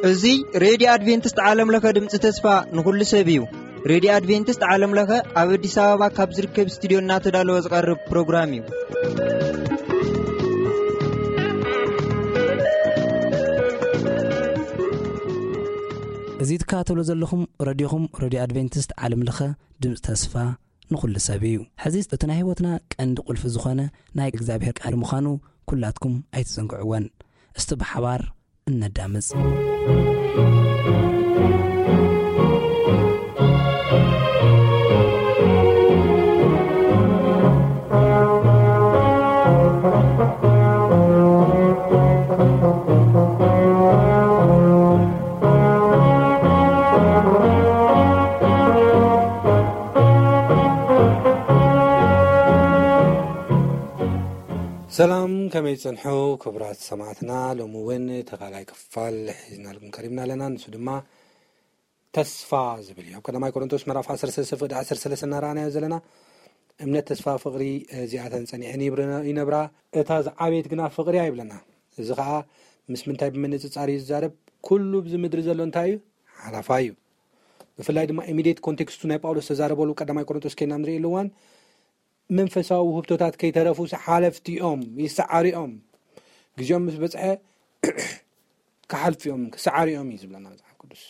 እዚ ሬድዮ ኣድቬንቲስት ዓለም ለኸ ድምፂ ተስፋ ንኹሉ ሰብ እዩ። ሬድዮ ኣድቬንቲስት ዓለም ለኸ ኣብ ኣዲስ ኣበባ ካብ ዝርከብ ስቱዲዮ እናተዳለወ ዝቐርብ ፕሮግራም እዩ። እዚ ትከታተሉ ዘለኹም ረድዮኹም ሬድዮ ኣድቬንቲስት ዓለም ለኸ ድምፂ ተስፋ ንኹሉ ሰብ እዩ። ሕዚ እቲ ናይ ህይወትና ቀንዲ ቁልፊ ዝኾነ ናይ እግዚኣብሔር ቃል ምዃኑ ኩላትኩም ኣይትዘንግዕወን። እስቲ ብሓባር እነዳምፅ። ሰላም፣ ከመይ ትጸንሑ ክቡራት ሰማዕትና? ሎሚ እውን ተኻላይ ክፋል ሒዝናልኩም ቀሪብና ኣለና። ንሱ ድማ ተስፋ ዝብል እዩ። ኣብ ቀዳማይ ቆሮንቶስ ምዕራፍ ዓሰርተ ሰለስተ ፍቕዲ ዓሰርተ ሰለስተ እናረኣናዮ ዘለና፣ እምነት፣ ተስፋ፣ ፍቕሪ፣ እዚኣተን ጸኒዐን ይብረ-፣ ይነብራ፣ እታ ዝዓበየት ግና ፍቕሪ እያ ይብለና። እዚ ኸኣ ምስ ምንታይ ብምንጽጻር እዩ ዝዛረብ? ኩሉ ብዚ ምድሪ ዘሎ እንታይ እዩ? ሓላፋ እዩ። ብፍላይ ድማ ኢሚዲየት ኮንቴክስቱ ናይ ጳውሎስ ተዛረበሉ ቀዳማይ ቆሮንቶስ ኬና ንርኢ ኣለዋን፣ መንፈሳዊ ውህብቶታት ከይተረፉ ሓለፍቲ እዮም፣ ይሰዓሩ እዮም። ግዜኦም ምስ በጽሐ ክሓልፉ እዮም፣ ክሰዓሩ እዮም እዩ ዝብለና መጽሓፍ ቅዱስ።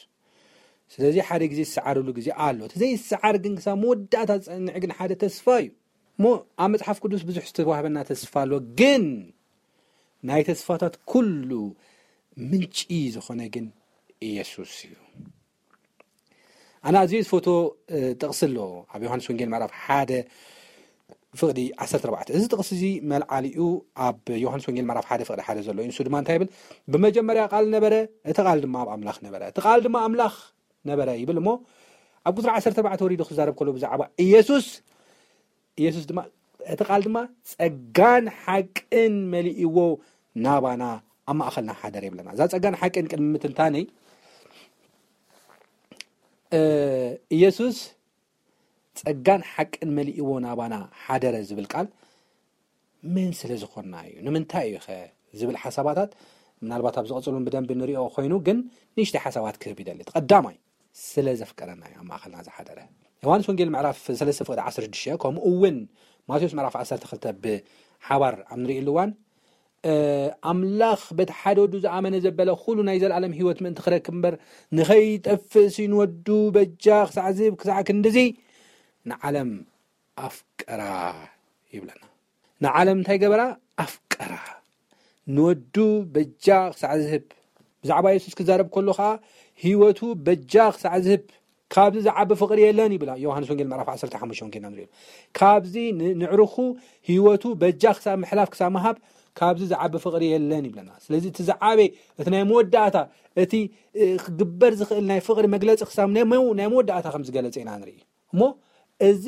ስለዚ ሓደ ግዜ ዝሰዓርሉ ግዜ ኣሎ። እቲ ዘይሰዓር ግን ክሳብ መወዳእታ ዝጸንዕ ግን ሓደ ተስፋ እዩ። እሞ ኣብ መጽሓፍ ቅዱስ ብዙሕ ዝተዋህበና ተስፋ ኣሎ፣ ግን ናይ ተስፋታት ኩሉ ምንጪ ዝኾነ ግን ኢየሱስ እዩ። ኣነ ኣዝየ ዝፈትዎ፣ እ፣ ጥቕሲ ኣሎ ኣብ ዮሃንስ ወንጌል ምዕራፍ ሓደ ፍቕዲ ዓሰርተ ኣርባዕተ። እዚ ጥቕሲ እዚ መልዓሊኡ ኣብ ዮሃንስ ወንጌል ምዕራፍ ሓደ ፍቕዲ ሓደ ዘሎ እዩ። ንሱ ድማ እንታይ ይብል? "ብመጀመርያ ቃል ነበረ፣ እቲ ቃል ድማ ኣብ ኣምላኽ ነበረ፣ እቲ ቃል ድማ ኣምላኽ ነበረ" ይብል። እሞ ኣብ ቁጽሪ ዓሰርተ ኣርባዕተ ወሪዱ ክዛረብ ከሎ ብዛዕባ ኢየሱስ፣ ኢየሱስ ድማ፣ እቲ ቃል ድማ ጸጋን ሓቅን መሊእዎ ናባና ኣብ ማእኸልና ሓደረ ይብለና። እዛ ጸጋን ሓቅን ቅድሚ ምትንታነይ፣ እ፣ ኢየሱስ ጸጋን ሓቅን መሊእዎ ናባና ሓደረ ዝብል ቃል መን ስለ ዝኾንና እዩ? ንምንታይ እዩ ኸ ዝብል ሓሳባታት ምናልባት ኣብ ዝቐጽሉን ብደንቢ ንሪኦ ኮይኑ፣ ግን ንእሽተይ ሓሳባት ክህብ ይደሊ። እቲ ቀዳማይ፣ ስለ ዘፍቀረና እዩ ኣብ ማእኸልና ዝሓደረ። ዮሃንስ ወንጌል ምዕራፍ ሰለስተ ፍቕዲ ዓሰርተ ሽዱሽተ፣ ከምኡ እውን ማቴዎስ ምዕራፍ ዓሰርተ ክልተ ብሓባር ኣብ ንርእየሉ እዋን፣ እ፣ "ኣምላኽ በቲ ሓደ ወዱ ዝኣመነ ዘበለ ኩሉ ናይ ዘለኣለም ህይወት ምእንቲ ክረክብ እምበር ንኸይጠፍእ ሲ ንወዱ በጃ ክሳዕ ዝህብ ክሳዕ ክንድዚ ንዓለም ኣፍቀራ" ይብለና። ንዓለም እንታይ ገበራ? ኣፍቀራ። ንወዱ በጃ ክሳዕ ዝህብ። ብዛዕባ የሱስ ክዛረብ ከሎ ኸዓ ህይወቱ በጃ ክሳዕ ዝህብ፣ "ካብዚ ዝዓቢ ፍቕሪ የለን" ይብላ። ዮሃንስ ወንጌል ምዕራፍ ዓሰርተ ሓሙሽተ ወንጌልና ንሪኦ። ካብዚ ን-፣ ንዕርኹ ህይወቱ በጃ ክሳብ ምሕላፍ ክሳብ ምሃብ ካብዚ ዝዓቢ ፍቕሪ የለን ይብለና። ስለዚ እቲ ዝዓበየ፣ እቲ ናይ መወዳእታ፣ እቲ፣ እ፣ ክግበር ዝኽእል ናይ ፍቕሪ መግለጺ ክሳብ ናይ መው-፣ ናይ መወዳእታ ከም ዝገለጸ ኢና ንርኢ። እሞ እዚ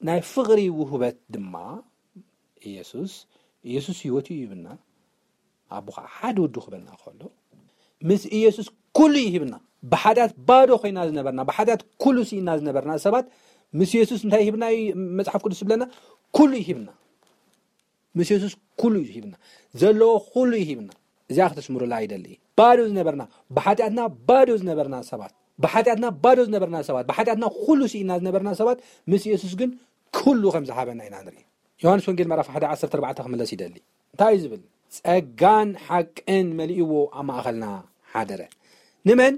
ናይ ፍቕሪ ውህበት ድማ ኢየሱስ፣ ኢየሱስ ህይወቱ ይህብና፣ ኣቦ ኸዓ ሓደ ወዱ ክህበና ከሎ፣ ምስ ኢየሱስ ኩሉ ይህብና። ብሓጢኣት ባዶ ኮይና ዝነበርና፣ ብሓጢኣት ኩሉ ስኢና ዝነበርና ሰባት ምስ ኢየሱስ እንታይ ይህብና እዩ መጽሓፍ ቅዱስ ዝብለና? ኩሉ ይህብና። ምስ የሱስ ኩሉ እዩ ሂብና። ዘለዎ ኩሉ እዩ ሂብና። እዚኣ ክትስምሩላ ይደሊ። ባዶ ዝነበርና፣ ብሓጢኣትና ባዶ ዝነበርና ሰባት፣ ብሓጢኣትና ባዶ ዝነበርና ሰባት፣ ብሓጢኣትና ኩሉ ስኢና ዝነበርና ሰባት፣ ምስ የሱስ ግን ኩሉ ከም ዝሃበና ኢና ንርኢ። ዮሃንስ ወንጌል ምዕራፍ ሓደ ዓሰርተ ኣርባዕተ ክምለስ ይደሊ። እንታይ እዩ ዝብል? ጸጋን ሓቅን መሊእዎ ኣብ ማእኸልና ሓደረ። ንመን?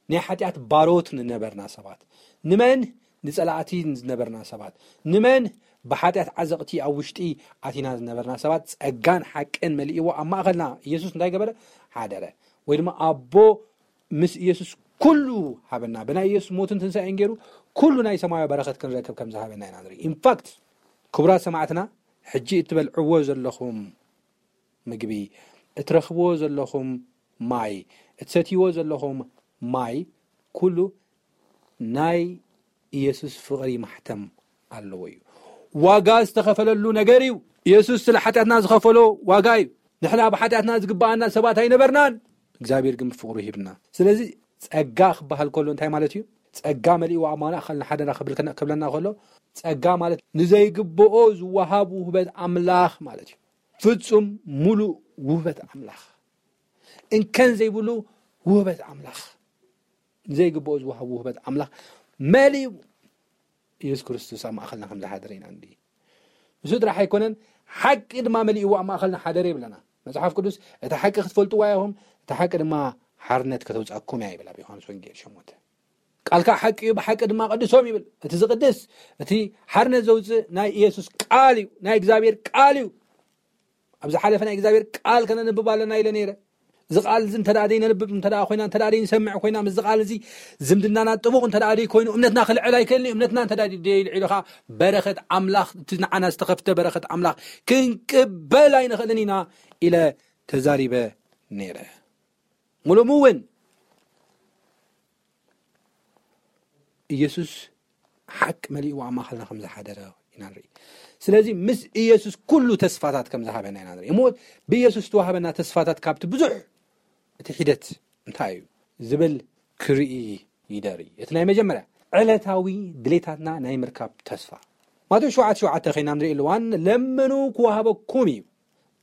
ናይ ሓጢኣት ባሮት ንነበርና ሰባት። ንመን? ንጸላእቲ ዝነበርና ሰባት። ንመን? ብሓጢኣት ዓዘቕቲ ኣብ ውሽጢ ኣቲና ዝነበርና ሰባት ጸጋን ሓቅን መሊእዎ ኣብ ማእኸልና ኢየሱስ እንታይ ገበረ? ሓደረ። ወይ ድማ ኣቦ ምስ ኢየሱስ ኩሉ ሃበና። ብናይ ኢየሱስ ሞትን ትንሳኤን ገይሩ ኩሉ ናይ ሰማያዊ በረኸት ክንረክብ ከም ዝሃበና ኢና ንርኢ። ኢንፋክት፣ ክቡራት ሰማዕትና፣ ሕጂ እትበልዕዎ ዘለኹም ምግቢ፣ እትረኽብዎ ዘለኹም ማይ፣ እትሰትይዎ ዘለኹም ማይ፣ ኩሉ ናይ ኢየሱስ ፍቕሪ ማሕተም ኣለዎ እዩ። ዋጋ ዝተኸፈለሉ ነገር እዩ። ኢየሱስ ስለ ሓጢኣትና ዝኸፈሎ ዋጋ እዩ። ንሕና ብሓጢኣትና ዝግብኣና ሰባት ኣይነበርናን። እግዚኣብሔር ግን ብፍቕሩ ሂብና። ስለዚ ጸጋ ክበሃል ከሎ እንታይ ማለት እዩ? ጸጋ መሊእዎ ኣብ ማእኸልና ሓደራ ክብል ከነ-፣ ክብለና ከሎ፣ ጸጋ ማለት ንዘይግብኦ ዝወሃብ ውህበት ኣምላኽ ማለት እዩ። ፍጹም ሙሉእ ውህበት ኣምላኽ፣ እንከን ዘይብሉ ውህበት ኣምላኽ፣ ንዘይግብኦ ዝወሃብ ውህበት ኣምላኽ መሊኡ ኢየሱስ ክርስቶስ ኣብ ማእኸልና ከም ዝሓደረ ኢና ንርኢ። ንሱ ጥራሕ ኣይኮነን፣ ሓቂ ድማ መሊእዎ ኣብ ማእኸልና ሓደረ ይብለና መጽሓፍ ቅዱስ። እቲ ሓቂ ክትፈልጥዋ ኢኹም፣ እቲ ሓቂ ድማ ሓርነት ከተውጻኩም እያ ይብል ኣብ ዮሃንስ ወንጌል ሸሞንተ። ቃልካ ሓቂ እዩ፣ ብሓቂ ድማ ቀድሶም ይብል። እቲ ዝቕድስ፣ እቲ ሓርነት ዘውፅእ ናይ ኢየሱስ ቃል እዩ፣ ናይ እግዚኣብሔር ቃል እዩ። ኣብ ዝሓለፈ ናይ እግዚኣብሔር ቃል ከነንብብ ኣለና ኢለ ነይረ። እዚ ቃል እዚ እንተ ደኣ ዘይነንብብ እንተ ደኣ ኮይና፣ እንተ ደኣ ዘይንሰምዕ ኮይና፣ ምስዚ ቃል እዚ ዝምድናና ጥቡቕ እንተ ደኣ ዘይኮይኑ፣ እምነትና ክልዕል ኣይክእልን እዩ። እምነትና እንተ ደኣ ደይልዒሉ ኸዓ፣ በረኸት ኣምላኽ፣ እቲ ንዓና ዝተኸፍተ በረኸት ኣምላኽ ክንቅበል ኣይንኽእልን ኢና ኢለ ተዛሪበ ነይረ። ሙሉሙ እውን ኢየሱስ ሓቂ መሊእዎ ኣብ ማእኸልና ከም ዝሓደረ ኢና ንርኢ። ስለዚ ምስ ኢየሱስ ኩሉ ተስፋታት ከም ዝሃበና ኢና ንርኢ። እሞ ብኢየሱስ ዝተዋህበና ተስፋታት ካብቲ ብዙሕ እቲ ሒደት እንታይ እዩ ዝብል ክርኢ ይደሪ። እቲ ናይ መጀመርያ ዕለታዊ ድሌታትና ናይ ምርካብ ተስፋ። ማቴዎስ ሸውዓተ ሸውዓተ ኸይና ንርኢ ኣለዋን፣ "ለምኑ ክወሃበኩም እዩ፣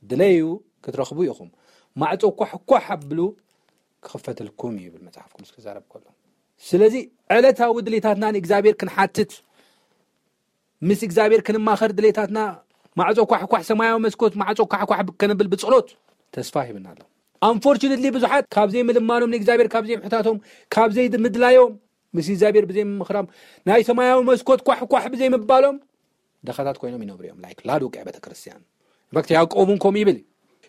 ድለዩ ክትረኽቡ ኢኹም፣ ማዕጾ ኳሕኳሕ ኣብሉ ክኽፈተልኩም እዩ" ይብል መጽሓፍ ቅዱስ ክዛረብ ከሎ። ስለዚ ዕለታዊ ድሌታትና ንእግዚኣብሔር ክንሓትት፣ ምስ እግዚኣብሔር ክንማኸር ድሌታትና ማዕጾ ኳሕኳሕ፣ ሰማያዊ መስኮት ማዕጾ ኳሕኳሕ ከነብል ብጸሎት ተስፋ ሂብና ኣሎ። Unfortunately ብዙሓት ካብ ዘይምልማኖም ንእግዚኣብሔር ካብ ዘይምሕታቶም፣ ካብ ዘይምድላዮም፣ ምስ እግዚኣብሔር ብዘይምምኽራም፣ ናይ ሰማያዊ መስኮት ኳሕኳሕ ብዘይምባሎም ድኻታት ኮይኖም ይነብሩ እዮም። ላይክ ላዶቅያ ቤተክርስትያን። ኢንፋክት ያዕቆብ እውን ከምኡ ይብል።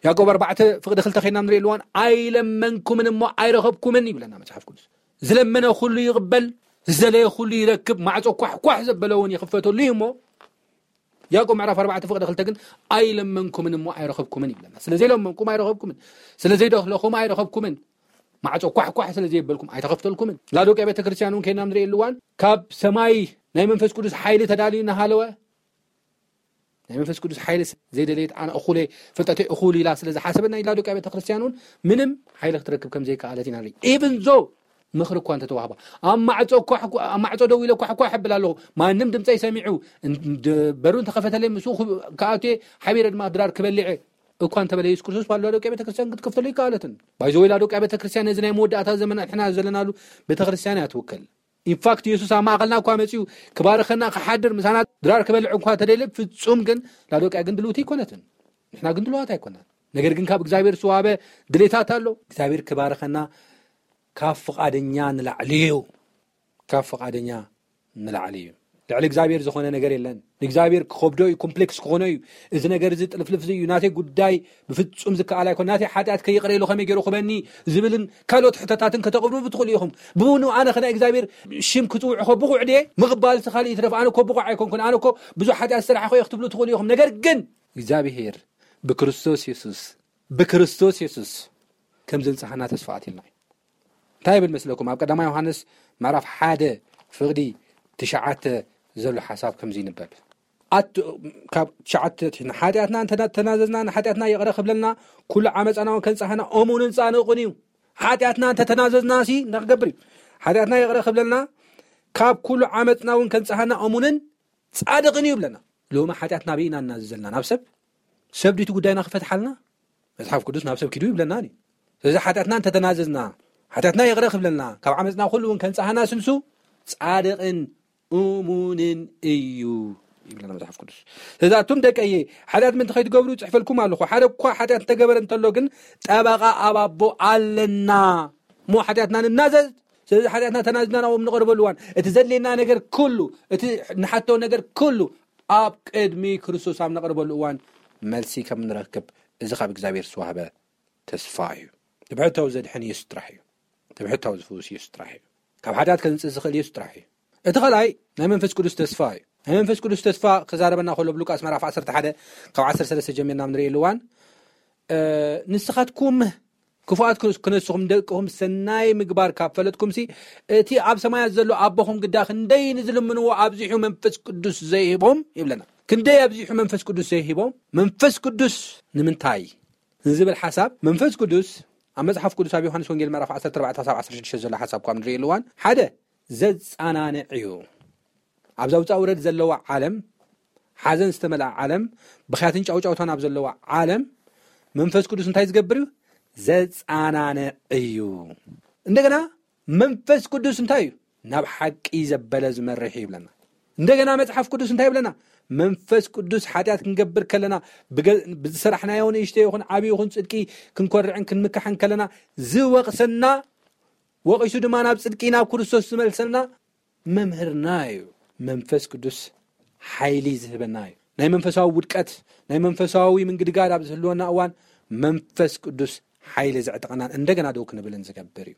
ያዕቆብ ኣርባዕተ ፍቕዲ ክልተ ኸይና ንርኢ ኣለዋን፣ "ኣይለመንኩምን እሞ ኣይረኸብኩምን" ይብለና መጽሓፍ ቅዱስ። ዝለመነ ኩሉ ይቕበል፣ ዝደለየ ኩሉ ይረክብ፣ ማዕጾ ኳሕኳሕ ዘበለ እውን ይኽፈተሉ እዩ እሞ፣ ያዕቆብ ምዕራፍ ኣርባዕተ ፍቕዲ ክልተ ግን፣ "ኣይለመንኩምን እሞ ኣይረኸብኩምን" ይብለና። ስለ ዘይለመንኩም ኣይረኸብኩምን፣ ስለ ዘይደለኹም ኣይረኸብኩምን፣ ማዕጾ ኳሕኳሕ ስለ ዘይበልኩም ኣይተኸፍተልኩምን። ላዶቅያ ቤተክርስትያን እውን ከይና ንርኢ ኣለዋን፣ ካብ ሰማይ ናይ መንፈስ ቅዱስ ሓይሊ ተዳልዩ እናሃለወ፣ ናይ መንፈስ ቅዱስ ሓይሊ ዘይደለየት ኣነ እኹለ፣ ፍልጠተይ እኹል ኢላ ስለ ዝሓሰበት፣ ናይ ላዶቅያ ቤተክርስትያን እውን ምንም ሓይሊ ክትረክብ ከም ዘይከኣለት ኢና ንርኢ። Even though ምኽሪ እኳ እንተተዋህባ፣ ኣብ ማዕጾ ኳሕ-፣ ኣብ ማዕጾ ደው ኢለ ኳሕኳሕ እብል ኣለኹ። ማንም ድምፀይ ሰሚዑ፣ እን-፣ ድ-፣ በሩ እንተኸፈተለይ ምስኡ ክብ-፣ ክኣትየ ሓቢረ ድማ ድራር ክበልዕ እኳ እንተበለ፣ ኢየሱስ ክርስቶስ ባዶ ላዶቅያ ቤተክርስትያን ክትከፍተሉ ይከኣለትን። ባይዘወይ ላዶቅያ ቤተክርስትያን ነዚ ናይ መወዳእታ ዘመን ንሕና ዘለናሉ ቤተክርስትያን እያ ትውክል። ኢንፋክት ኢየሱስ ኣብ ማእኸልና እኳ መጺኡ ክባርኸና ክሓድር ምሳና ድራር ክበልዕ እኳ ተደልየ፣ ፍጹም ግን ላዶቅያ ግን ድልውቲ ኣይኮነትን። ንሕና ግን ድልዋት ኣይኮናን። ነገር ግን ካብ እግዚኣብሔር ዝተዋህበ ድሌታት ኣሎ። እግዚኣብሔር ክባርኸና ካብ ፍቓደኛ ንላዕሊ እዩ። ካብ ፍቓደኛ ንላዕሊ እዩ። ልዕሊ እግዚኣብሔር ዝኾነ ነገር የለን። ንእግዚኣብሔር ክኸብዶ እዩ፣ ኮምፕሌክስ ክኾኖ እዩ። እዚ ነገር እዚ ጥልፍልፍ እዩ፣ ናተይ ጉዳይ ብፍጹም ዝከኣል ኣይኮን። ናተይ ሓጢኣት ከይቕረ ኢሉ ከመይ ገይሩ ክበኒ ዝብልን ካልኦት ሕቶታትን ከተቕርቡ ትኽእሉ ኢኹም። ብውኑ ኣነ ኸ ናይ እግዚኣብሔር ሽም ክጽውዕ እኮ ብቑዕ ድየ? ምቕባልሲ ካልእ ይትረፍ፣ ኣነ እኮ ብቑዕ ኣይኮንኩን፣ ኣነ እኮ ብዙሕ ሓጢኣት ዝሰራሕኹ እየ ክትብሉ ትኽእሉ ኢኹም። ነገር ግን እግዚኣብሔር ብክርስቶስ የሱስ፣ ብክርስቶስ የሱስ ከም ዘንጽሃና ተስፋ ኣትልና እዩ። እንታይ ይብል መስለኩም? ኣብ ቀዳማይ ዮሃንስ ምዕራፍ ሓደ ፍቕዲ ትሽዓተ ዘሎ ሓሳብ ከምዚ ይንበብ። ኣት-፣ ካብ ትሽዓተ ንሓጢኣትና እንተ ተናዘዝና፣ ንሓጢኣትና ይቕረ ክብለልና፣ ኩሉ ዓመፃና እውን ከንጽሃና እሙንን ጻድቕን እዩ። ሓጢኣትና እንተ ተናዘዝና ሲ እንታይ ክገብር እዩ? ሓጢኣትና ይቕረ ክብለልና፣ ካብ ኩሉ ዓመፅና እውን ከንጽሃና እሙንን ጻድቕን እዩ ይብለና። ሎሚ ሓጢኣትና ኣበይ ኢና እናዘዘልና? ናብ ሰብ? ሰብ ድዩ እቲ ጉዳይና ክፈትሓልና? መጽሓፍ ቅዱስ ናብ ሰብ ኪዱ ይብለና እዩ። ስለዚ ሓጢኣትና እንተተናዘዝና፣ ሓጢኣትና ይቕረ ክብለልና፣ ካብ ዓመፅና ኩሉ እውን ከንጽሃና ስንሱ ጻድቕን እሙንን እዩ ይብለና መጽሓፍ ቅዱስ። ስለዚ ኣቱም ደቀየ፣ ሓጢኣት ምእንቲ ከይትገብሩ ጽሕፈልኩም ኣለኹ። ሓደ እኳ ሓጢኣት እንተገበረ እንተሎ ግን ጠበቓ ኣብ ኣቦ ኣለና። እሞ ሓጢኣትና ንናዘዝ። ስለዚ ሓጢኣትና ተናዚዝና ናብኦም ንቐርበሉ እዋን፣ እቲ ዘድልየና ነገር ኩሉ፣ እቲ ንሓቶ ነገር ኩሉ ኣብ ቅድሚ ክርስቶስ ኣብ ነቕርበሉ እዋን መልሲ ከም ንረክብ፣ እዚ ካብ እግዚኣብሔር ዝተዋህበ ተስፋ እዩ። እቲ ብሕታዊ ዘድሕን ኢየሱስ ጥራሕ እዩ። እቲ ብሕታዊ ዝፍውስ ኢየሱስ ጥራሕ እዩ። ካብ ሓጢኣት ከንጽእ ዝኽእል ኢየሱስ ጥራሕ እዩ። እቲ ኻልኣይ ናይ መንፈስ ቅዱስ ተስፋ እዩ። ናይ መንፈስ ቅዱስ ተስፋ ክዛረበና ከሎ ብሉቃስ ምዕራፍ ዓሰርተ ሓደ ካብ ዓሰርተ ሰለስተ ጀሚርና ንርእየሉ እዋን፣ እ፣ ንስኻትኩም ክፉኣት ክነስኹም ንደቅኹም ሰናይ ምግባር ካብ ፈለጥኩምሲ፣ እቲ ኣብ ሰማያት ዘሎ ኣቦኹም ግዳ ክንደይ ንዝልምንዎ ኣብዚሑ መንፈስ ቅዱስ ዘይህቦም ይብለና። ክንደይ ኣብዚሑ መንፈስ ቅዱስ ዘይህቦም? መንፈስ ቅዱስ ንምንታይ ንዝብል ሓሳብ፣ መንፈስ ቅዱስ ኣብ መጽሓፍ ቅዱስ ኣብ ዮሃንስ ወንጌል ምዕራፍ ዓሰርተ ኣርባዕተ ክሳብ ዓሰርተ ሽዱሽተ ዘሎ ሓሳብ እኳ ንርእየሉ እዋን፣ ሓደ ዘጻናንዕ እዩ። ኣብዛ ውጻእ ውረድ ዘለዋ ዓለም፣ ሓዘን ዝተመልኣ ዓለም፣ ብኽያትን ጫውጫውታን ኣብ ዘለዋ ዓለም መንፈስ ቅዱስ እንታይ ዝገብር እዩ? ዘጻናንዕ እዩ። እንደገና መንፈስ ቅዱስ እንታይ እዩ? ናብ ሓቂ ዘበለ ዝመርሕ እዩ ይብለና። እንደገና መጽሓፍ ቅዱስ እንታይ ይብለና? መንፈስ ቅዱስ ሓጢኣት ክንገብር ከለና፣ ብገ- ብዝሰራሕናዮ ንእሽቶ ይኹን ዓብዪ ይኹን ጽድቂ ክንኮርዕን ክንምካሕን ከለና ዝወቕሰና፣ ወቒሱ ድማ ናብ ጽድቂ ናብ ክርስቶስ ዝመልሰልና መምህርና እዩ። መንፈስ ቅዱስ ሓይሊ ዝህበና እዩ። ናይ መንፈሳዊ ውድቀት፣ ናይ መንፈሳዊ ምንግድጋድ ኣብ ዝህልወና እዋን መንፈስ ቅዱስ ሓይሊ ዘዕጥቐናን እንደገና ደው ክንብልን ዝገብር እዩ።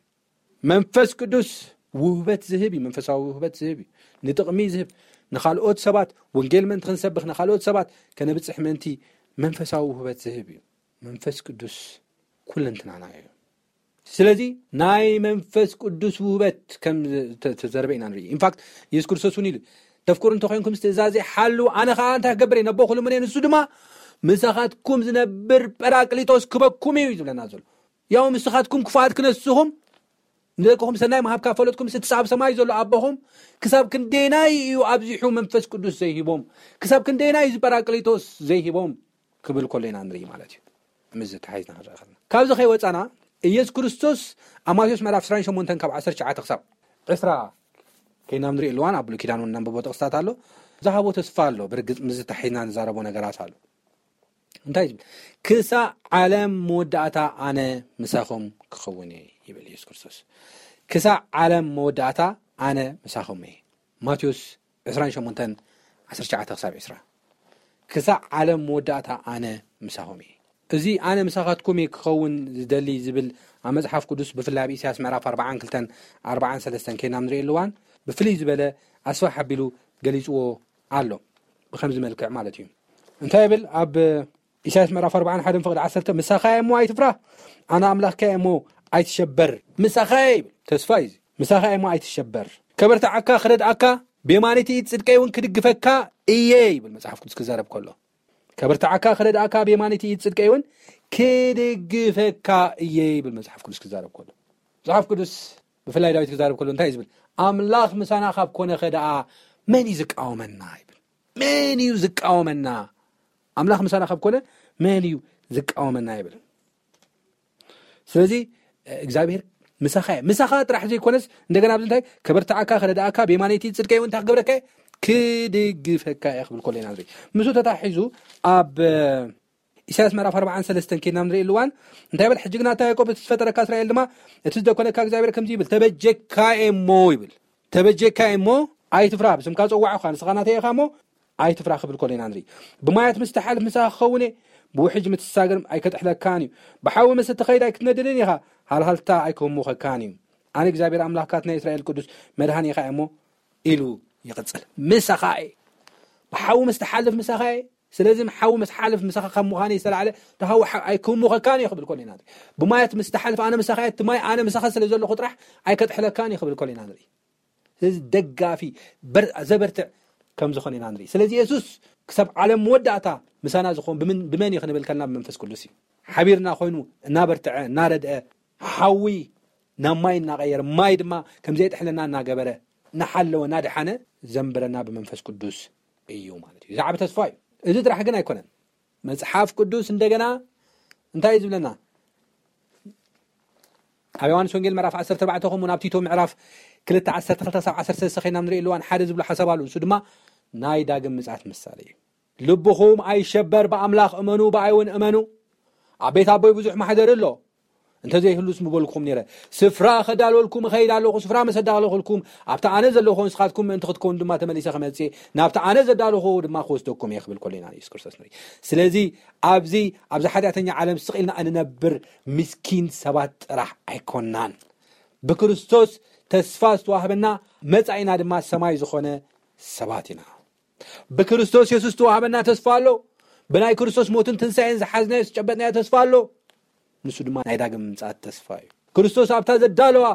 መንፈስ ቅዱስ ውህበት ዝህብ እዩ። መንፈሳዊ ውህበት ዝህብ እዩ። ንጥቕሚ ዝህብ፣ ንኻልኦት ሰባት ወንጌል ምእንቲ ክንሰብኽ፣ ንኻልኦት ሰባት ከነብጽሕ ምእንቲ መንፈሳዊ ውህበት ዝህብ እዩ። መንፈስ ቅዱስ ኩለንትናና እዩ። ስለዚ ናይ መንፈስ ቅዱስ ውህበት ከም ተ- ተዘርበ ኢና ንርኢ። ኢንፋክት የሱስ ክርስቶስ እውን ኢሉ፣ "ተፍቅሩ እንተኮይንኩም ትእዛዘይ ሓልዉ፣ ኣነ ከዓ እንታይ ክገብር እየ? ነቦ ክልምኖ እየ፣ ንሱ ድማ ምሳኻትኩም ዝነብር ጳራቅሊጦስ ክበኩም እዩ" እዩ ዝብለና ዘሎ። ያው ንስኻትኩም ክፉኣት ክነስኹም፣ ንደቅኹም ሰናይ ምሃብ ካብ ፈለጥኩም፣ እቲ ኣብ ሰማይ ዘሎ ኣቦኹም ክሳብ ክንደየናይ እዩ ኣብዚሑ መንፈስ ቅዱስ ዘይሂቦም? ክሳብ ክንደየናይ እዩ እዚ ጳራቅሊጦስ ዘይሂቦም? ክብል ከሎ ኢና ንርኢ ማለት እዩ። ምስ ዝተሓይዝና ክንርኢ ከለና፣ ካብዚ ከይወፃና፣ ኢየሱስ ክርስቶስ ኣብ ማቴዎስ ምዕራፍ ዕስራን ሸሞንተን ካብ ዓሰርተ ትሽዓተ ክሳብ ዕስራ ከይና ንርኢ ኣለዋን ኣብ ብሉይ ኪዳን እውን ነንብቦ ጥቕስታት ኣሎ። ዝሃቦ ተስፋ ኣሎ። ብርግፅ ምስ ዝተሓይዝና ንዛረቦ ነገራት ኣሎ። እንታይ ዝብል? "ክሳዕ ዓለም መወዳእታ ኣነ ምሳኹም ክኸውን እየ" ይብል ኢየሱስ ክርስቶስ። "ክሳዕ ዓለም መወዳእታ ኣነ ምሳኹም እየ" ማቴዎስ ዕስራን ሸሞንተን ዓሰርተ ትሽዓተ ክሳብ ዕስራ። "ክሳዕ ዓለም መወዳእታ ኣነ ምሳኹም እየ" እዚ ኣነ ምሳኻትኩም እየ ክኸውን ዝደሊ ዝብል ኣብ መጽሓፍ ቅዱስ ብፍላይ ኣብ ኢሳያስ ምዕራፍ ኣርባዓን ክልተን ኣርባዓን ሰለስተን ከይና ንርኢ ኣለዋን ብፍልይ ዝበለ ኣስፋሕ ኣቢሉ ገሊጽዎ ኣሎ። ብከምዚ መልክዕ ማለት እዩ። እንታይ ይብል ኣብ ኢሳያስ ምዕራፍ ኣርባዓን ሓደን ፍቕዲ ዓሰርተ? "ምሳኻ እየ እሞ ኣይትፍራ፣ ኣነ ኣምላኽካ እየ እሞ ኣይትሸበር" ምሳኻ እየ ይብል። ተስፋ እዩ እዚ። "ምሳኻ እየ እሞ ኣይትሸበር፣ ከበርትዓካ ክረድኣካ፣ ብየማነይቲ ኢድ ጽድቀይ እውን ክድግፈካ እየ" ይብል መጽሓፍ ቅዱስ ክዛረብ ከሎ። "ከበርትዓካ ክረድኣካ፣ ብየማነይቲ ኢድ ጽድቀይ እውን ክድግፈካ እየ" ይብል መጽሓፍ ቅዱስ ክዛረብ ከሎ። መጽሓፍ ቅዱስ ብፍላይ ዳዊት ክዛረብ ከሎ እንታይ እዩ ዝብል? "ኣምላኽ ምሳና ካብ ኮነ ከ ደኣ መን እዩ ዝቃወመና?" ይብል። "መን እዩ ዝቃወመና? ኣምላኽ ምሳና ካብ ኮነ መን እዩ ዝቃወመና?" ይብል። ስለዚ እግዚኣብሔር ምሳኻ እየ። ምሳኻ ጥራሕ ዘይኮነስ እንደገና ኣብዚ እንታይ ከበርትዓካ፣ ክረድኣካ፣ ብየማነይቲ ጽድቀይ እውን እንታይ ክገብረካ እየ? ክድግፈካ እየ ክብል ከሎ ኢና ንርኢ። ምስኡ ተታሒዙ ኣብ ኢሳያስ ምዕራፍ ኣርባዓን ሰለስተን ከይድና ንርኢ ኣለዋን እንታይ ይብል? "ሕጂ ግና ኣታ ያዕቆብ እቲ ዝፈጠረካ እስራኤል ድማ እቲ ዝደኮነካ እግዚኣብሔር ከምዚ ይብል፣ ተበጀካ እየ እሞ" ይብል። "ተበጀካ እየ እሞ ኣይትፍራ፣ ብስምካ ጸዋዕኳ፣ ንስኻ ናተይ ኢኻ እሞ ኣይትፍራ" ክብል ከሎ ኢና ንርኢ። "ብማያት ምስ ትሓልፍ ምሳኻ ክኸውን እየ፣ ብውሕጅ ምስ ትሳገር ኣይከጥሕለካን እዩ። ብሓዊ ምስ እትኸይድ ኣይክትነድድን ኢኻ፣ ሃልሃልታ ኣይክህሙኸካን እዩ። ኣነ እግዚኣብሔር ኣምላኽካ እቲ ናይ እስራኤል ቅዱስ መድሃኒኻ እየ እሞ" ኢሉ ይቕጽል። "ምሳኻ እየ፣ ብሓዊ ምስ ትሓልፍ ምሳኻ እየ፣ ስለዚ ሓዊ ምስ ሓልፍ ምሳኻ ካብ ምዃን ዝተላዕለ እቲ ሓዊ ሓ- ኣይክህሙኸካን እዩ" ክብል ከሎ ኢና ንርኢ። "ብማያት ምስ ትሓልፍ ኣነ ምሳኻ እየ፣ እቲ ማይ ኣነ ምሳኻ ስለ ዘለኹ ጥራሕ ኣይከጥሕለካን እዩ" ክብል ከሎ ኢና ንርኢ። ስለዚ ደጋፊ በር- ዘበርትዕ ከም ዝኾነ ኢና ንርኢ። ስለዚ የሱስ ክሳብ ዓለም መወዳእታ ምሳና ዝኾን ብምን- ብመን እዩ ክንብል ከልና ብመንፈስ ቅዱስ እዩ። ሓቢርና ኮይኑ እናበርትዐ እናረድአ ሓዊ ናብ ማይ እናቐየረ ማይ ድማ ከም ዘይጥሕለና እናገበረ እናሓለወ እናድሓነ ዘንብረና ብመንፈስ ቅዱስ እዩ ማለት እዩ። ዝዓቢ ተስፋ እዩ። እዚ ጥራሕ ግን ኣይኮነን። መጽሓፍ ቅዱስ እንደገና እንታይ እዩ ዝብለና? ኣብ ዮሃንስ ወንጌል ምዕራፍ ዓሰርተ ኣርባዕተ ከምኡ ናብ ቲቶ ምዕራፍ ክልተ ዓሰርተ ክልተ ሳብ ዓሰርተ ሰለስተ ኸይና ንርኢ ኣለዋን ሓደ ዝብሎ ሓሳብ ኣሉ። ንሱ ድማ ናይ ዳግም ምጽኣት ምሳሌ እዩ። "ልብኹም ኣይሸበር፣ ብኣምላኽ እመኑ፣ ብኣይ እውን እመኑ። ኣብ ቤት ኣቦይ ብዙሕ ማሕደር ኣሎ፣ እንተዘይህሉስ ምበልኩም ነይረ። ስፍራ ከዳልወልኩም እኸይድ ኣለኹ፣ ስፍራ መሰ ዳለኹልኩም፣ ኣብቲ ኣነ ዘለኹ ንስኻትኩም ምእንቲ ክትከውን ድማ ተመሊሰ ክመጽእ፣ ናብቲ ኣነ ዘዳለኹ ድማ ክወስደኩም እየ" ክብል ከሎ ኢና ንየሱስ ክርስቶስ ንርኢ። ስለዚ ኣብዚ ኣብዚ ሓጢኣተኛ ዓለም ስቕ ኢልና እንነብር ምስኪን ሰባት ጥራሕ ኣይኮናን። ብክርስቶስ ተስፋ ዝተዋህበና መጻኢና ድማ ሰማይ ዝኾነ ሰባት ኢና። ብክርስቶስ የሱስ ዝተዋህበና ተስፋ ኣሎ። ብናይ ክርስቶስ ሞትን ትንሳኤን ዝሓዝናዮ ዝጨበጥናዮ ተስፋ ኣሎ። ንሱ ድማ ናይ ዳግም ምምጻእ ተስፋ እዩ። ክርስቶስ ኣብታ ዘዳለዋ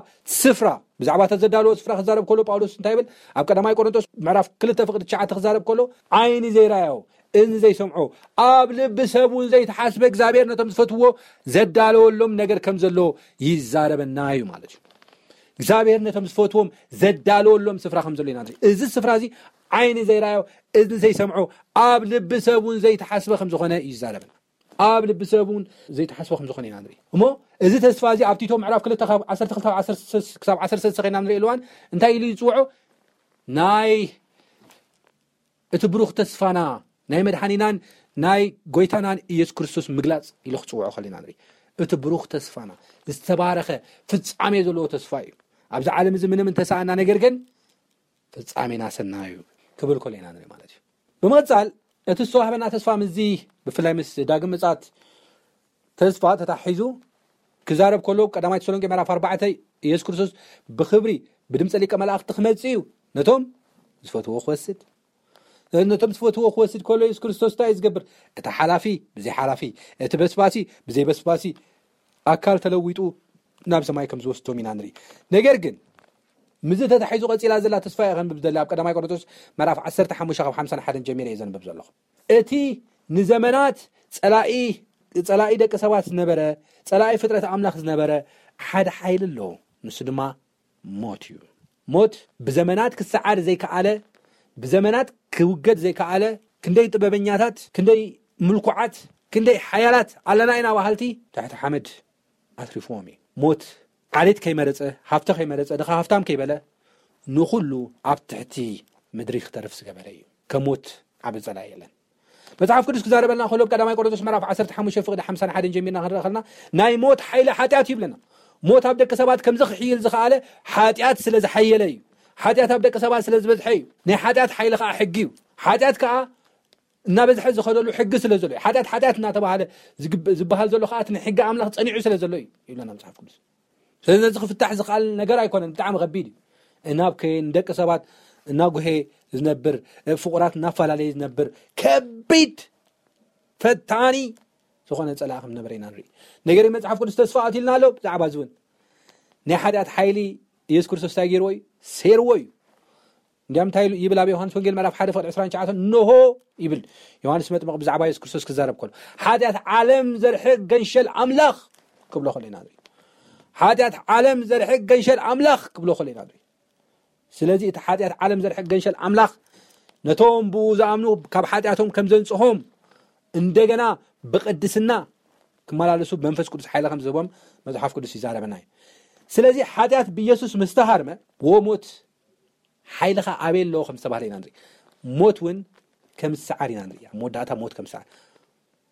ስፍራ፣ ብዛዕባ እታ ዘዳለዎ ስፍራ ክዛረብ ከሎ ጳውሎስ እንታይ ይብል? ኣብ ቀዳማይ ቆሮንቶስ ምዕራፍ ክልተ ፍቕዲ ትሽዓተ ክዛረብ ከሎ፣ ዓይኒ ዘይረኣዮ፣ እዝኒ ዘይሰምዖ፣ ኣብ ልቢ ሰብ እውን ዘይተሓስበ እግዚኣብሔር ነቶም ዝፈትዎ ዘዳለወሎም ነገር ከም ዘሎ ይዛረበና እዩ ማለት እዩ። እግዚኣብሔር ነቶም ዝፈትዎም ዘዳለወሎም ስፍራ ከም ዘሎ ኢና ንርኢ። እዚ ስፍራ እዚ ዓይኒ ዘይረኣዮ፣ እዝኒ ዘይሰምዖ፣ ኣብ ልቢ ሰብ እውን ዘይተሓስበ ከም ዝኾነ እዩ ዝዛረበና። ኣብ ልቢ ሰብ እውን ዘይተሓስበ ከም ዝኾነ ኢና ንርኢ። እሞ እዚ ተስፋ እዚ ኣብ ቲቶ ምዕራፍ ክልተ ካብ ዓሰርተ ክልተ ክሳብ ዓሰርተ ሰለስተ ከይና ንርኢ ኣለዋን እንታይ ኢሉ ይፅውዖ? ናይ እቲ ብሩኽ ተስፋና፣ ናይ መድሓኒናን ናይ ጎይታናን ኢየሱስ ክርስቶስ ምግላጽ ኢሉ ክጽውዖ ከለና ንርኢ። እቲ ብሩኽ ተስፋና ዝተባረኸ ፍጻሜ ዘለዎ ተስፋ እዩ። ኣብዚ ዓለም እዚ ምንም እንተሰኣና፣ ነገር ግን ፍጻሜና ሰናዩ ክብል ከለና ንርኢ ማለት እዩ። ብምቕጻል እቲ ዝተዋህበና ተስፋ ምስዚ ብፍላይ ምስ ዳግም ምጻት ተስፋ ተታሒዙ ክዛረብ ከሎ ቀዳማይ ተሰሎንቄ ምዕራፍ ኣርባዕተ ኢየሱስ ክርስቶስ ብኽብሪ ብድምፀ ሊቀ መላእኽቲ ክመጽእ እዩ፣ ነቶም ዝፈትዎ ክወስድ። ነቶም ዝፈትዎ ክወስድ ከሎ ኢየሱስ ክርስቶስ እንታይ እዩ ዝገብር? እቲ ሓላፊ ብዘይ ሓላፊ፣ እቲ በስባሲ ብዘይ በስባሲ ኣካል ተለዊጡ ናብ ሰማይ ከም ዝወስዶም ኢና ንርኢ። ነገር ግን ምዚ ተታሒዙ ቀፂላ ዘላ ተስፋ እየ ከንብብ ዘላ ኣብ ቀዳማይ ቆሮንቶስ ምዕራፍ ዓሰርተ ሓሙሽተ ካብ ሓምሳን ሓደን ጀሚረ እየ ዘንብብ ዘለኹ። እቲ ንዘመናት ፀላኢ ፀላኢ ደቂ ሰባት ዝነበረ፣ ፀላኢ ፍጥረት ኣምላኽ ዝነበረ ሓደ ሓይሊ ኣሎ። ንሱ ድማ ሞት እዩ። ሞት ብዘመናት ክሰዓር ዘይከኣለ፣ ብዘመናት ክውገድ ዘይከኣለ፣ ክንደይ ጥበበኛታት፣ ክንደይ ምልኩዓት፣ ክንደይ ሓያላት ኣለና ኢና በሃልቲ ትሕቲ ሓመድ ኣትሪፍዎም እዩ። ሞት ዓሌት ከይመረጸ፣ ሃፍቲ ከይመረጸ፣ ድኻ ሃፍታም ከይበለ፣ ንኹሉ ኣብ ትሕቲ ምድሪ ክተርፍ ዝገበረ እዩ። ከሞት ዓቢ ጸላኢ የለን። መጽሓፍ ቅዱስ ክዛረበልና ከሎ፣ ቀዳማይ ቆሮንቶስ ምዕራፍ ዓሰርተ ሓሙሽተ ፍቕዲ ሓምሳን ሓደን ጀሚርና ክንርኢ ከለና፣ ናይ ሞት ሓይሊ ሓጢኣት እዩ ይብለና። ሞት ኣብ ደቂ ሰባት ከምዚ ክሕይል ዝኸኣለ ሓጢኣት ስለ ዝሓየለ እዩ። ሓጢኣት ኣብ ደቂ ሰባት ስለ ዝበዝሐ እዩ። ናይ ሓጢኣት ሓይሊ ኸኣ ሕጊ እዩ። ሓጢኣት ከኣ እናበዝሐ ዝኸደሉ ሕጊ ስለ ዘሎ እዩ። ሓጢኣት ሓጢኣት እናተባህለ ዝግብ-፣ ዝበሃል ዘሎ ኸኣ እቲ ናይ ሕጊ ኣምላኽ ጸኒዑ ስለ ዘሎ እዩ ይብለና መጽሓፍ ቅዱስ። ስለዚ ነዚ ክፍታሕ ዝኽኣል ነገር ኣይኮነን፣ ብጣዕሚ ከቢድ እዩ። እናብከየ ንደቂ ሰባት እናጉሄ ዝነብር፣ ፍቑራት እናፈላለየ ዝነብር ከቢድ ፈታኒ ዝኾነ ጸላኢ ከም ነበረ ኢና ንርኢ። ነገር ግን መጽሓፍ ቅዱስ ተስፋ ኣትዩልና ኣሎ። ብዛዕባ እዚ እውን ናይ ሓጢኣት ሓይሊ ኢየሱስ ክርስቶስ እንታይ ገይርዎ እዩ? ሰይርዎ እዩ። እንዲያም እንታይ ይብል ኣብ ዮሃንስ ወንጌል ምዕራፍ ሓደ ፍቕዲ ዕስራን ትሽዓተን፣ እንሆ ይብል ዮሃንስ መጥምቕ ብዛዕባ ኢየሱስ ክርስቶስ ክዛረብ ከሎ፣ ሓጢኣት ዓለም ዘርሕቕ ገንሸል ኣምላኽ ክብሎ ከሎ ኢና ንርኢ። ሓጢኣት ዓለም ዘርሕቕ ገንሸል ኣምላኽ ክብሎ ከሎ ኢና ንርኢ። ስለዚ እቲ ሓጢኣት ዓለም ዘርሕቕ ገንሸል ኣምላኽ ነቶም ብኡ ዝኣምኑ ካብ ሓጢኣቶም ከም ዘንጽሆም፣ እንደገና ብቕድስና ክመላለሱ መንፈስ ቅዱስ ሓይሊ ከም ዝህቦም መጽሓፍ ቅዱስ ይዛረበና እዩ። ስለዚ ሓጢኣት ብኢየሱስ ምስ ተሃርመ፣ ወሞት ሓይልኻ ኣበይ ኣለዎ ከም ዝተባህለ ኢና ንርኢ። ሞት እውን ከም ዝሰዓር ኢና ንርኢ። ኣብ መወዳእታ ሞት ከም ዝሰዓር።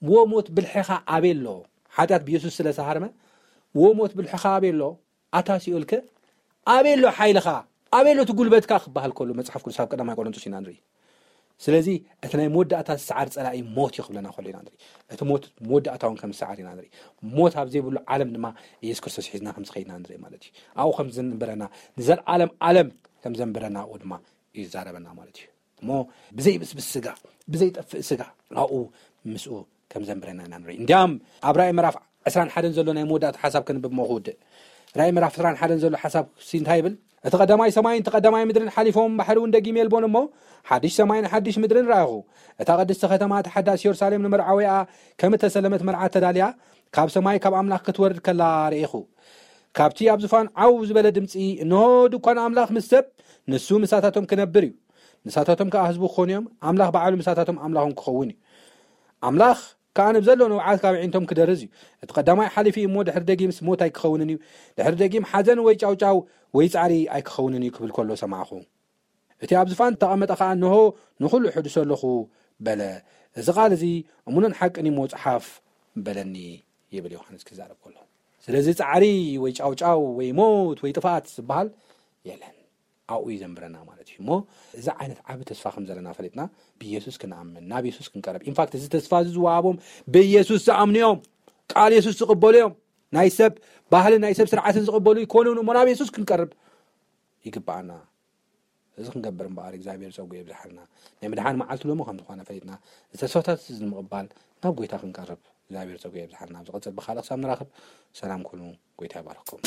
ወሞት ብልሕኻ ኣበይ ኣለዎ? ሓጢኣት ብኢየሱስ ስለ ዝተሃርመ፣ ወሞት ብልሕኻ ኣበይ ኣለዎ? ኣታ ሲኦልከ ኣበይ ኣሎ ሓይልኻ? ኣበይ ኣሎ እቲ ጉልበትካ ክበሃል ከሎ መጽሓፍ ቅዱስ ኣብ ቀዳማይ ቆሮንቶስ ኢና ንርኢ። ስለዚ እቲ ናይ መወዳእታ ዝሰዓር ጸላኢ ሞት እዩ ክብለና ከሎ ኢና ንርኢ። እቲ ሞት መወዳእታ እውን ከም ዝሰዓር ኢና ንርኢ። ሞት ኣብ ዘይብሉ ዓለም ድማ ኢየሱስ ክርስቶስ ሒዝና ከም ዝኸይድና ንርኢ ማለት እዩ። ኣብኡ ከም ዘንብረና፣ ንዘለዓለም ዓለም ከም ዘንብረና ኣብኡ ድማ እዩ ዝዛረበና ማለት እዩ። እሞ ብዘይብስብስ ስጋ፣ ብዘይጠፍእ ስጋ ኣብኡ ምስኡ ከም ዘንብረና ኢና ንርኢ። እንዲያም ኣብ ራእይ ምዕራፍ ዕስራን ሓደን ዘሎ ናይ መወዳእታ ሓሳብ ከንብብ እሞ ክውድእ። ራእይ ምዕራፍ ዕስራን ሓደን ዘሎ ሓሳብ ሲ እንታይ ይብል? እቲ ቀዳማይ ሰማይን እቲ ቀዳማይ ምድርን ሓሊፎም፣ ባሕሪ እውን ደጊም የልቦን እሞ፣ ሓድሽ ሰማይን ሓድሽ ምድርን ረኣኹ። እታ ቅድስቲ ከተማ፣ እታ ሓዳስ የሩሳሌም፣ ንመርዓዊኣ ከም እተሰለመት መርዓት ተዳልያ፣ ካብ ሰማይ ካብ ኣምላኽ ክትወርድ ከላ ርኢኹ። ካብቲ ኣብ ዙፋን ዓው ዝበለ ድምጺ፣ እንሆ ድኳን ኣምላኽ ምስ ሰብ፣ ንሱ ምሳታቶም ክነብር እዩ። ንሳታቶም ከኣ ህዝቡ ክኾኑ እዮም። ኣምላኽ ባዕሉ ምሳታቶም ኣምላኾም ክኸውን እዩ። ኣምላኽ ከኣ ንብዘሎ ንብዓት ካብ ኣዒንቶም ክደርዝ እዩ። እቲ ቀዳማይ ሓሊፉ እዩ እሞ ድሕሪ ደጊምስ ሞት ኣይክኸውንን እዩ። ድሕሪ ደጊም ሓዘን ወይ ጫውጫው ወይ ጻዕሪ ኣይክኸውንን እዩ ክብል ከሎ ሰማዕኹ። እቲ ኣብ ዝፋን እተቐመጠ ኸኣ፣ እንሆ፣ ንኹሉ እሕድሶ ኣለኹ በለ። እዚ ቃል እዚ እሙንን ሓቅን እዩ እሞ ጽሓፍ በለኒ ይብል ዮሃንስ ክዛረብ ከሎ። ስለዚ ጻዕሪ ወይ ጫውጫው ወይ ሞት ወይ ጥፍኣት ዝበሃል የለን። ኣብኡ እዩ ዘንብረና ማለት እዩ። እሞ እዚ ዓይነት ዓቢ ተስፋ ከም ዘለና ፈሊጥና ብኢየሱስ ክንኣምን፣ ናብ ኢየሱስ ክንቀርብ። ኢንፋክት እዚ ተስፋ እዚ ዝወሃቦም ብኢየሱስ ዝኣምኑ እዮም። ቃል ኢየሱስ ዝቕበሉ እዮም። ናይ ሰብ ባህልን ናይ ሰብ ስርዓትን ዝቕበሉ ይኮኑን እሞ ናብ ኢየሱስ ክንቀርብ ይግብኣና። እዚ ክንገብር እምበኣር እግዚኣብሔር ጸጉ የብዝሓልና። ናይ ምድሓን መዓልቲ ሎሚ ከም ዝኾነ ፈሊጥና፣ እዚ ተስፋታት እዚ ንምቕባል ናብ ጎይታ ክንቀርብ እግዚኣብሔር ጸጉ የብዝሓልና። ኣብ ዝቐጽል ብኻልእ ክሳብ ንራኸብ ሰላም ኩኑ። ጎይታ ይባርኽኩም።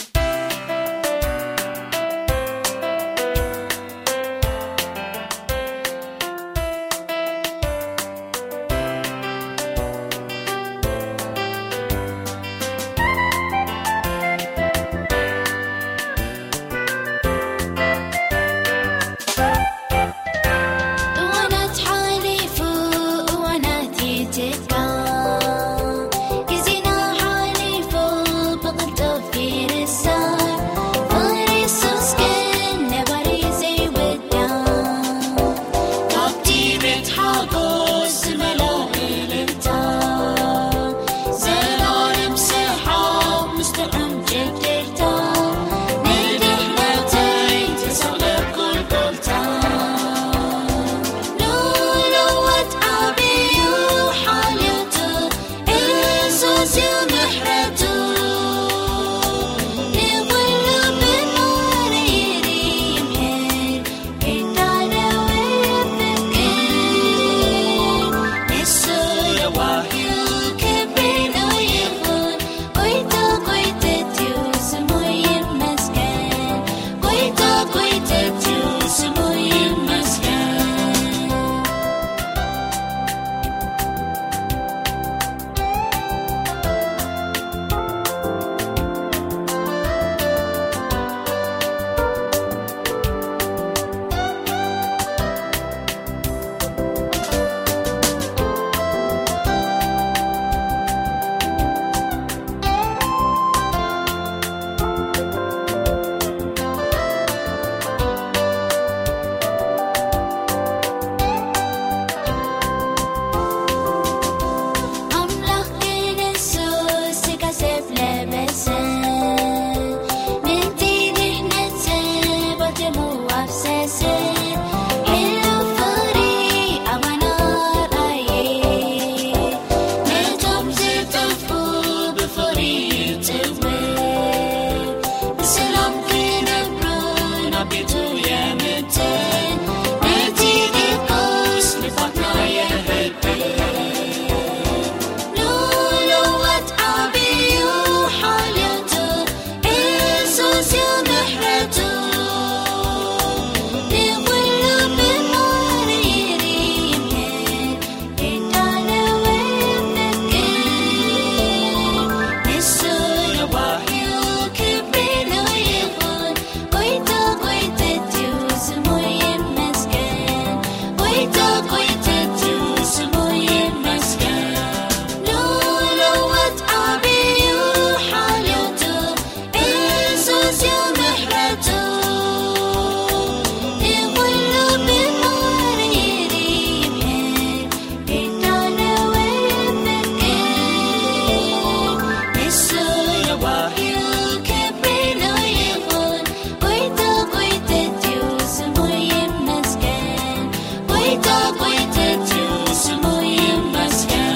ጎይተትዩ ስሙ ይመስገን።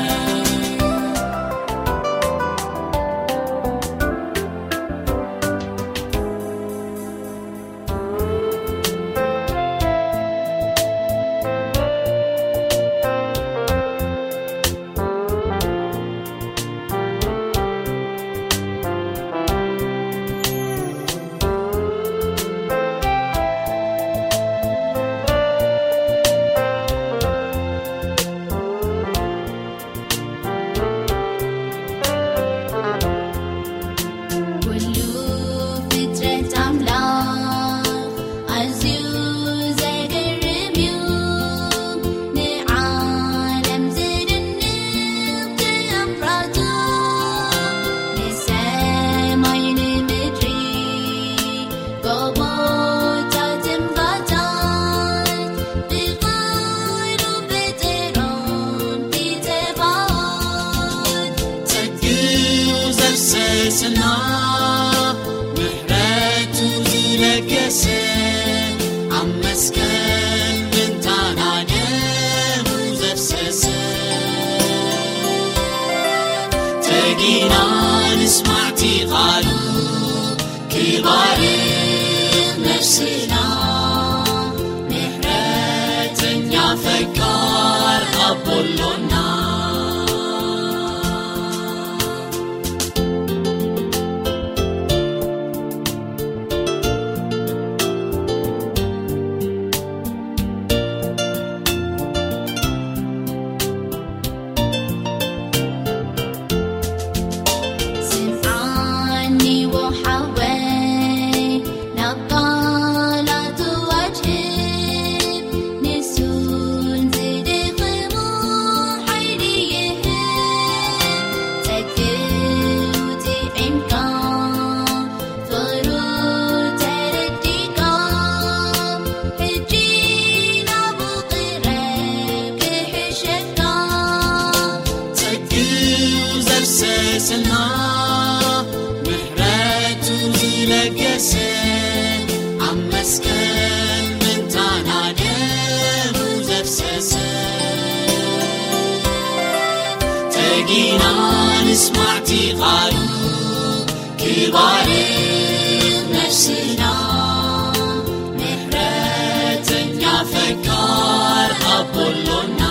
ኩሉ ፍጥረት ኣምላኽ ኣዝዩ ዘገርም እዩ። ንዓለም ዝድንቕ ተኣምራቱ፣ ንሰማይ ንምድሪ ጎቦታት እምባታት ብቓሉ ፈጠሮም ፊተባኦት። ጸግኡ ዘፍሰስና ምሕረቱ ዝለገሰ ኣብ መስቀል ምንታና ደሙ ዘፍሰሰ። ተጊና ንስማዕቲ ቃሉ ክባርኽ ነፍስና ምሕረተኛ ፈቃር ኣቦሎና። ስምዓኒ ወሓወይ ናብ ቃላቱ ኣድህብ፣ ንሱን ዝደኸሙ ሓይሊ ይህብ። ጸግኡ ጥዒምካ ፍቕሩ ተረዲእካ፣ ሕጂ ናብኡ ቅረብ ክሕሸካ። ጸግኡ ዘፍሰስና ምሕረቱ ዝለገሰ ኣብ መስቀል ምንታና ደሙ ዘፍሰሰ። ተጊና ንስማዕቲ ቃሉ ክባርኽ ነፍስና ምሕረተኛ ፈቃር ኣቦሎና።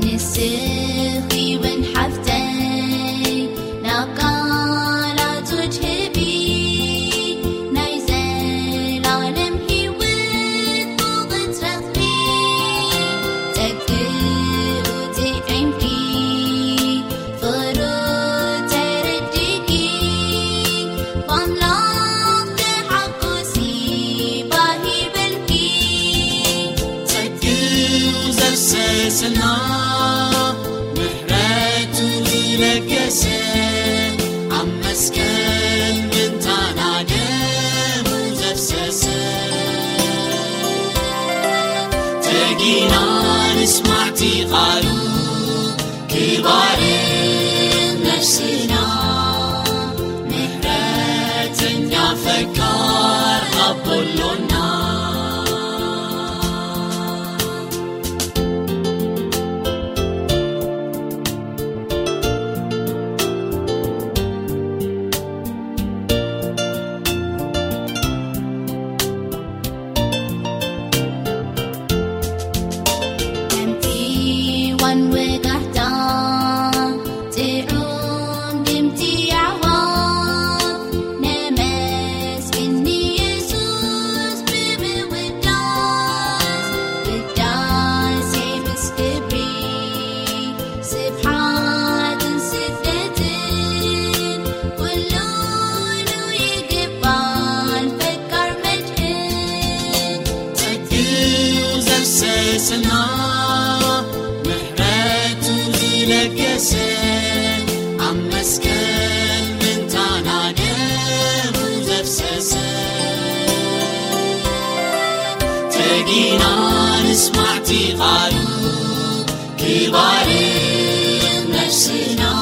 ንስኺ እውን ሓፍተይ ናብ ቃላቱ ድህቢ፣ ናይ ዘላለም ህይወት ብቕትረትኪ ጸግኡ ጥዒምኪ፣ ፍቕሩ ተረዲእኪ፣ ብኣምላኽ ተሓጎሲ ባህ ይበልኪ። ጸግኡ ዘፍሰስና ምሕረቱ ዝለገሰ ኣብ መስቀል ምንታና ደሙ ዘፍሰሰ። ተጊና ንስማዕቲ ቃሉ ክባርኽ ነፍስና ምሕረተኛ ፈቃር ኣቦሎና። ከምቲ ዋን ወጋሕታ ጥዑም ድምጺ ኣዕዋፍ፣ ነመስግን ንየሱስ ብምውዳስ፣ ውዳሴ ምስ ክብሪ፣ ስብሓትን ስግደትን፣ ኩሉ ይግባን ፈቃር መድህን። ጸግኡ ዘፍሰስና ስማዕቲ ቃሉ ክባርኽ ነፍስና።